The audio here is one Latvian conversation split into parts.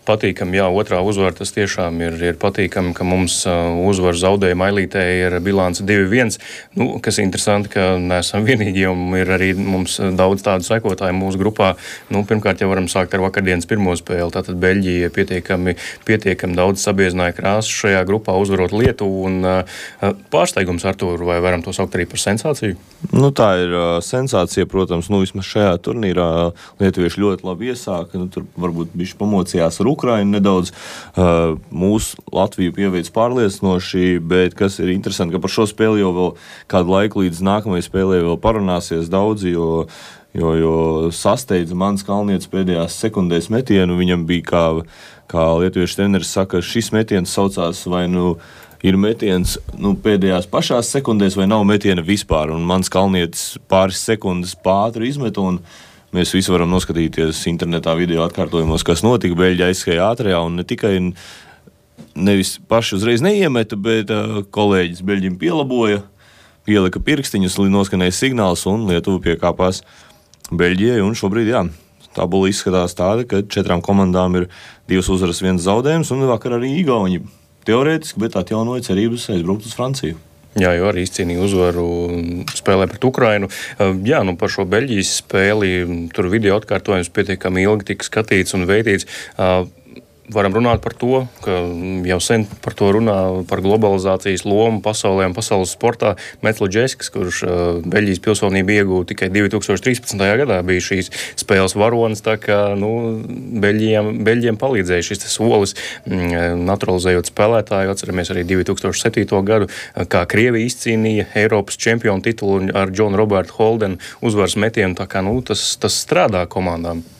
patīkami, jā, otrā uzvara tas tiešām ir patīkami, ka mums uzvara zaudējuma ailītē ir bilance 2-1, kas interesanti, ka neesam vienīgi, un ir arī mums daudz tādu sekotāju mūsu grupā. Pirmkārt jau varam sākt ar vakardienas pirmo spēli, tātad Beļģija pietiekami daudz sabiezināja krāsu šajā grupā, uzvarot Lietuvu, un pārsteigums, Artūr, vai varam to saukt arī par sensāciju? Tā ir sensācija, protams, vismaz šajā turnīrā lietuvieši ļoti labi iesāka, tur varbūt bišķi pamocījās ar Ukrainu nedaudz, mūsu Latviju pieveic pārliecinoši, bet kas ir interesanti, ka par šo spēli jau vēl kādu laiku līdz nākamajai spēlē vēl parunāsies daudzi, jo sasteidza Mans Kalnietis pēdējās sekundēs metienu, viņam bija, kā lietuviešu treneris saka, šis metiens saucās vai ir metiens pēdējās pašās sekundēs vai nav metiena vispār, un Mans Kalnietis pāris sekundes pātri izmet, un mēs visi varam noskatīties internetā video atkārtojumos, kas notika. Beļģi aizskrēja ātrajā un ne tikai nevis paši uzreiz neiemeta, bet kolēģis Beļģim pielaboja, pielika pirkstiņus, noskanēja signāls un Lietuva piekāpās Beļģijai. Un šobrīd, tabula izskatās tāda, ka 4 komandām ir 2 uzvaras, 1 zaudējums, un vakar arī Igauni teorētiski, bet atjaunoja cerības aizbraukt uz Franciju. Jā, jo arī izcīnīja uzvaru spēlē pret Ukrainu. Par šo Beļģijas spēli tur video atkārtojums pietiekami ilgi tika skatīts un veidīts. Varam runāt par to, ka jau sen par to runā, par globalizācijas lomu pasaulē un pasaules sportā. Metloģeskis, kurš Beļģijas pilsonību iegūta tikai 2013. gadā, bija šīs spēles varonis, tā kā Beļģiem palīdzēja šis solis, naturalizējot spēlētāju. Atceramies arī 2007. gadu, kā Krievija izcīnīja Eiropas čempionu titulu ar Džonu Robertu Holdenu uzvaras metienu, tā kā tas strādā komandām.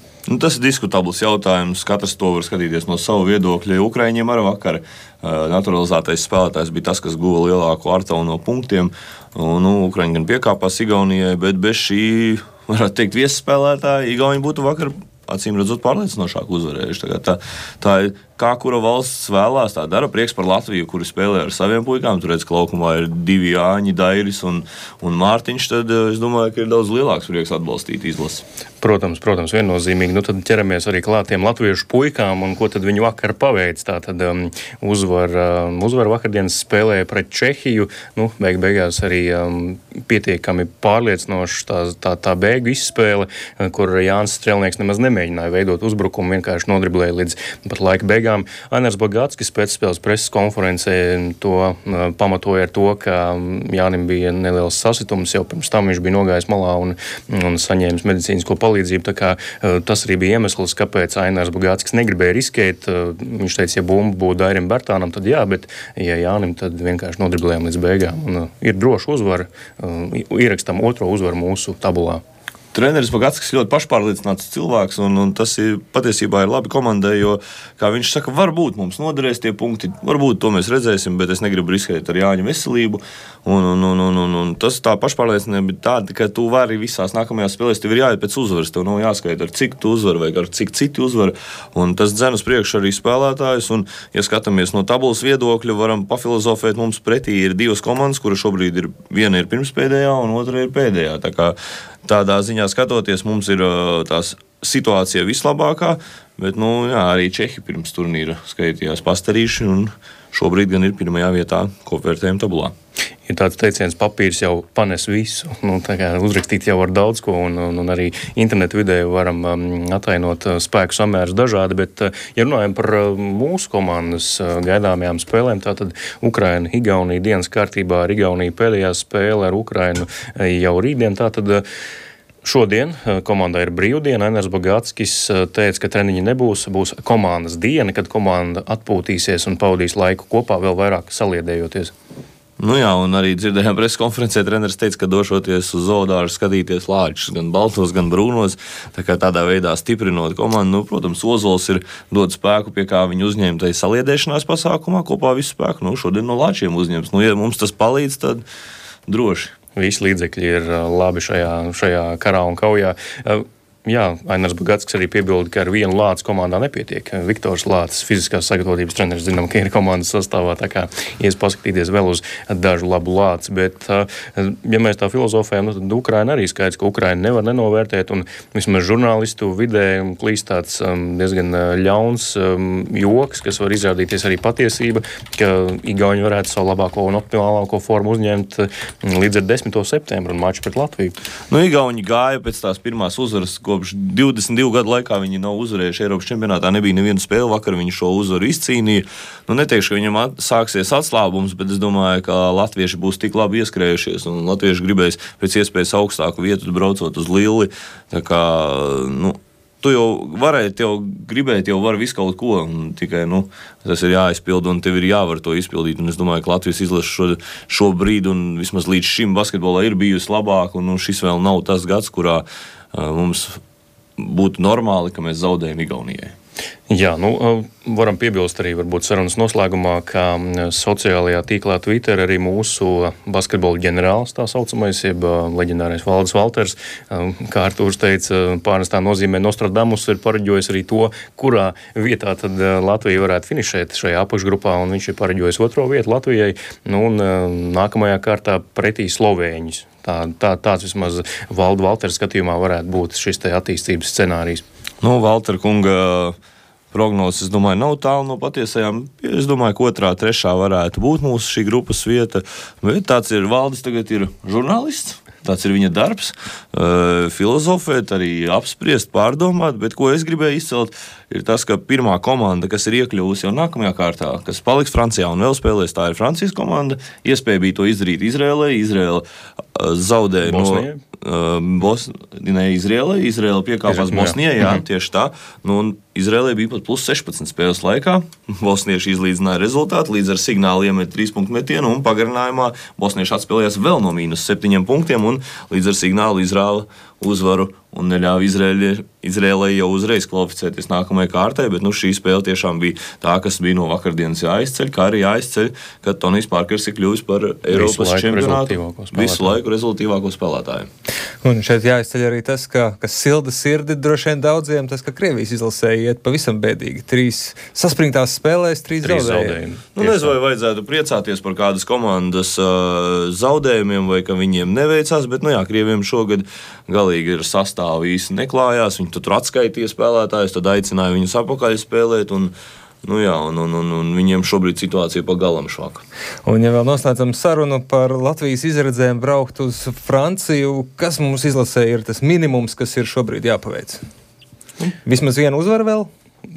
Tas ir diskutabls jautājums, katrs to var skatīties no savu viedokļa. Ukraiņiem ar vakar naturalizētais spēlētājs bija tas, kas guva lielāko artavu no punktiem. Ukraiņi gan piekāpās Igaunijai, bet bez šī, varētu teikt, viesspēlētāja Igauni būtu vakar acīm redzot pārliecinošāk uzvarējuši. Tā ir kā kura valsts vēlās, tā dara. Prieks par Latviju, kuri spēlē ar saviem puikām. Tur redz, ka laukumā ir 2 Jāņi, Dairis un Mārtiņš, tad es domāju, ka ir daudz lielāks prieks atbalstīt izlasi. Protams, viennozīmīgi. Tad ķeramies arī klātiem latviešu puikām, un ko tad viņi vakar paveic. Tātad uzvar vakardienas spēlē pret Čehiju. Beigās arī pietiekami pārliecinoši tā beigu izspēle, kur Jānis Strelnieks nemaz nemēģināja veidot uzbrukumu, vienkārši nodriblēja līdz pat laika beigām. Ainars Bogatskis pēcspēles preses konferencē to pamatoja ar to, ka Jānim bija neliels sasitums, jau pirms tam viņš bija nogājis malā un saņēmis medicīnisko palīdzību. Tā kā tas arī bija iemesls, kāpēc Ainars Bogatskis negribēja riskēt. Viņš teica, ja bumba būtu Dairim Bērtānam, tad jā, bet ja Jānim, tad vienkārši nodriblējām līdz beigām. Un ir droša uzvara, ierakstam 2. uzvaru mūsu tabulā. Treneris Bogatskis ļoti pašpārliecināts cilvēks, un tas patiesībā ir labi komandai, jo, kā viņš saka, varbūt mums noderēs tie punkti, varbūt to mēs redzēsim, bet es negribu riskēt ar Jāņa veselību. Un tas tā pašpārliecinātība ir tāda, ka tu vari visās nākamajās spēlēs, tev ir jāiet pēc uzvaras, tev nav jāskaita, ar cik tu uzvar vai ar cik citi uzvar, un tas dzen uz priekšu arī spēlētājus, un, ja skatāmies no tabulas viedokļa, varam pafilozofēt, mums pretī ir 2 komandas, kura šobrīd viena ir pirmspēdējā un otra ir pēdējā, tā kā tādā ziņā skatoties, mums ir tās situācija vislabākā, bet arī Čehi pirms turnīra skaitījās pastarīši un šobrīd gan ir pirmajā vietā kopvērtējuma tabulā. Ir tāds teiciens, papīrs jau panes visu, tā kā uzrakstīt jau var daudz ko, un arī internetu vidē varam atainot spēku samērus dažādi, bet, ja runājam par mūsu komandas gaidāmajām spēlēm, tātad Ukraina, Igaunija dienas kārtībā ar Igauniju pēdējā spēle ar Ukrainu jau rītdien, tātad šodien komandai ir brīvdiena. Ainars Bogatskis teica, ka treniņi nebūs, būs komandas diena, kad komanda atpūtīsies un pavadīs laiku kopā, vēl vairāk saliedējoties. Un arī dzirdējām preses konferencē, treneris teica, ka došoties uz zoodārzu skatīties lāčus, gan baltos, gan brūnos, tā kā tādā veidā stiprinot komandu. Protams, Ozols ir dod spēku, pie kā viņi uzņēma tai saliedēšanās pasākumā, kopā visu spēku. Šodien no lāčiem uzņems. Ja mums tas palīdz, tad droši. Visi līdzekļi ir labi šajā karā un kaujā. Jā, Ainars Bagatskis arī piebilda, ka ar vienu Lācis komandā nepietiek. Viktors Lācis, fiziskās sagatavotības treneris, zinām, ka ir komandas sastāvā, tā kā ies paskatīties vēl uz dažu labu Lāci. Bet, ja mēs tā filozofējam, tad Ukraina arī skaidrs, ka Ukraina nevar nenovērtēt, un vismaz žurnālistu vidē klīst tāds diezgan ļauns joks, kas var izrādīties arī patiesība, ka Igauni varētu savu labāko un optimālāko formu uzņemt līdz ar 10. septembru un maču pret Latviju. Igauni gāja pēc tās pirmās uzvaras, kopš 22 gadu laikā viņi nav uzvarējuši Eiropas čempionātā, nebija neviena spēle, vakar viņi šo uzvaru izcīnīja. Neteikšu, ka viņam sāksies atslābums, bet es domāju, ka latvieši būs tik labi ieskrējušies, un latvieši gribēs pēc iespējas augstāku vietu braucot uz Lilli. Tā kā, tu jau varētu, gribēt, jau var visu kaut ko, un tikai, tas ir jāizpild, un tev ir jāvar to izpildīt, un es domāju, ka Latvijas izlase šobrīd, un vismaz līdz šim basketbolā ir bijusi labāk, un šis vēl nav tas gads, kurā mums būtu normāli, ka mēs zaudējam Igaunijai. Jā, varam piebilst arī varbūt sarunas noslēgumā, ka sociālajā tīklā Twitter arī mūsu basketbola ģenerālis, tā saucamais, jeb leģendārais Valdis Valters, kā Artūrs teica, pārnestā nozīmē Nostradamus, ir pareģojis arī to, kurā vietā tad Latvija varētu finišēt šajā apakšgrupā, un viņš ir pareģojis 2. vietu Latvijai, un nākamajā kārtā pretī Slovēņus. Tāds vismaz Valters skatījumā varētu būt šis te attīstības scenārijs. Valtera kunga prognozes, es domāju, nav tālu no patiesajām. Es domāju, ka 2., 3. varētu būt mūsu šī grupas vieta. Bet tāds ir Valdis, tagad ir žurnālists. Tāds ir viņa darbs, filozofēt, arī apspriest, pārdomāt, bet ko es gribēju izcelt, ir tas, ka pirmā komanda, kas ir iekļuvusi jau nākamajā kārtā, kas paliks Francijā un vēl spēlēs, tā ir Francijas komanda. Iespēja bija to izdarīt Izrēlē. Izrēla zaudēja Izrēla piekāpās Bosnijai, jā, tieši tā. Izrēlē bija pat plus 16 spēles laikā. Bosnieši izlīdzināja rezultātu, līdz ar signālu iemet 3-punktu metienu, un pagarinājumā bosnieši atspēlējās vēl no -7 punktiem, un līdz ar signālu Izrēla uzvaru un neļāva Izrēlai jau uzreiz kvalificēties nākamajai kārtai, bet šī spēle tiešām bija tā, kas bija no vakardienas jāizceļ, kā arī jāizceļ, ka Tonijs Parkers ir kļuvis par Eiropas čempionātu visu laiku rezultīvāko spēlētāju. Un šeit jāizceļ arī tas, kas silda sirdi droši vien daudziem, tas, ka Krievijas izlasē iet pavisam bēdīgi. 3 saspringtās spēlēs, 3 zaudējumi. Nezinu, vai vajadzētu priecāties par kādas komandas zaudējumiem, vai ka viņiem neveicās, bet, Krieviem šogad galīgi ir sastāvi īsti neklājās. Viņi tur atskaitīja spēlētājus, tad aicināja viņus apakaļ spēlēt, un viņiem šobrīd situācija pa galam švaka. Un, ja vēl noslēdzam sarunu par Latvijas izredzēm braukt uz Franciju, kas mums izlasē ir tas minimums, kas ir šobrīd jāpaveic? Vismaz vienu uzvaru vēl?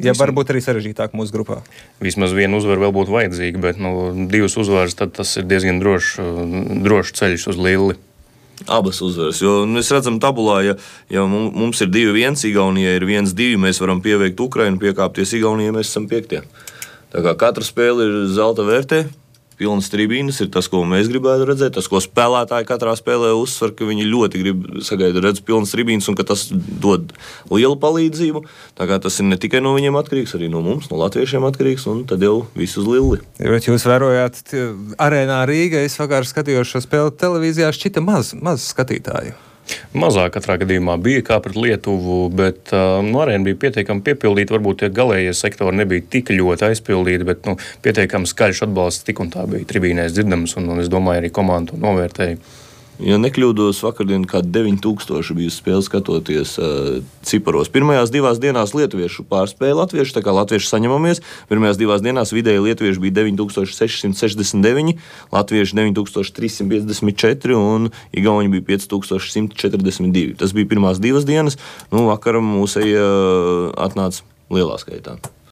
Ja varbūt arī sarežģītāk mūsu grupā. Vismaz vienu uzvaru vēl būtu vajadzīga, bet 2 uzvaras, tad tas ir diezgan drošs ceļš uz Lilli. Abas uzvaras, jo mēs redzam tabulā, ja mums ir 2-1, Igaunijai ir 1-2, mēs varam pieveikt Ukrainu, piekāpties Igaunijai, mēs esam 5. Tā kā katra spēle ir zelta vērtē, pilnas tribīnes ir tas, ko mēs gribētu redzēt, tas, ko spēlētāji katrā spēlē uzsver, ka viņi ļoti grib redzēt pilnas tribīnes un ka tas dod lielu palīdzību. Tā kā tas ir ne tikai no viņiem atkarīgs, arī no mums, no latviešiem atkarīgs, un tad jau viss uz Lilli. Bet jūs vērojāt arēnā Rīga, es vakar skatījos šo spēli televīzijā, šķita maz skatītāju. Mazāk katrā gadījumā bija kā pret Lietuvu, bet arēna bija pietiekami piepildīta. Varbūt tie galējie sektori nebija tik ļoti aizpildīti, bet pietiekami skaļš atbalsts tik un tā bija tribīnēs dzirdams, un es domāju, arī komanda to novērtēja. Ja nekļūdos, vakardien kā 9000 bija spēle skatoties ciparos. Pirmajās 2 dienās lietuviešu pārspēja latviešu, tā kā latvieši saņemamies. Pirmajās 2 dienās vidēji lietuvieši bija 9669, latvieši 9354 un igauņi bija 5142. Tas bija pirmās 2 dienas, vakaram mūsēji atnāca lielā skaitā.